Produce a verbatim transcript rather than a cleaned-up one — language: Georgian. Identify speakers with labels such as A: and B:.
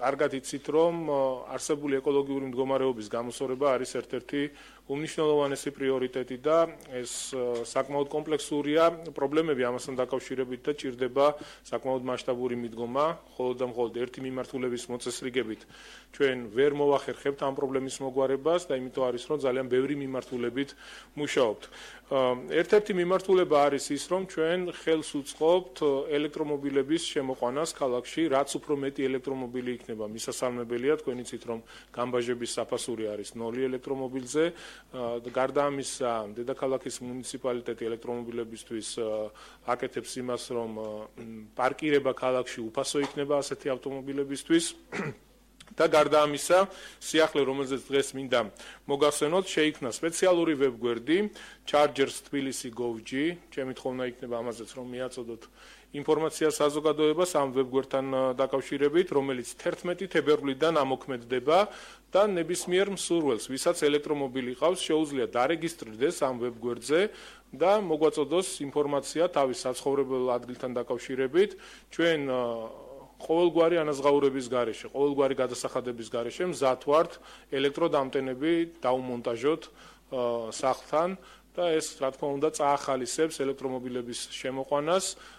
A: კარგად იცით, რომ არსებული ეკოლოგიური მდგომარეობის გამოსწორება არის ერთ-ერთი უმნიშვნელოვანესი პრიორიტეტი და ეს საკმაოდ კომპლექსურია პრობლემები ამასთან დაკავშირებით და ჭირდება საკმაოდ მასშტაბური მიდგომა, მხოლოდ და მხოლოდ ერთი მიმართულების მოწესრიგებით ჩვენ ვერ მოვახერხებთ ამ პრობლემის მოგვარებას და იმიტომ არის, რომ ძალიან ბევრი მიმართულებით მუშაობთ. ერთ-ერთი მიმართულება არის ის, რომ ჩვენ ხელს უწყობთ ელექტრომობილების შემოყვანას ქალაქში, რაც უფრო მეტი ელექტრომობილი იქნება, მისასალმებელია, თქვენ იცით, რომ გამბაჟების საფასური არის ნოლი ელექტრომობილზე. გარდა ამისა, დედაქალაქის მუნიციპალიტეტი ელექტრომობილებისთვის აკეთებს იმას, რომ პარკირება ქალაქში უფასო იქნება ასეთი ავტომობილებისთვის. და გარდა ამისა, სიახლე, რომელზეც დღეს მინდა მოგახსენოთ, შეიქმნა სპეციალური ვებგვერდი Chargers Tbilisi Gov.g, ჩემი თხოვნა იქნება ამაზეც, რომ მიაწოდოთ ინფორმაცია საზოგადოებას ამ ვებგვერდთან დაკავშირებით, რომელიც თერთმეტი თებერვლიდან ამოქმედდება და ნებისმიერ მსურველს, ვისაც ელექტრომობილი ყავს, შეუძლია დარეგისტრირდეს ამ ვებგვერდზე და მოგვაწოდოს ინფორმაცია თავის საცხოვრებელ ადგილთან დაკავშირებით. ჩვენ ყოველგვარი ანაზღაურების გარეშე, ყოველგვარი გადასახადების გარეშე მზად ვართ ელექტროდამტენები დაუმონტაჟოთ სახლთან და ეს, რა თქმა უნდა, წაახალისებს ელექტრომობილების შემოყვანას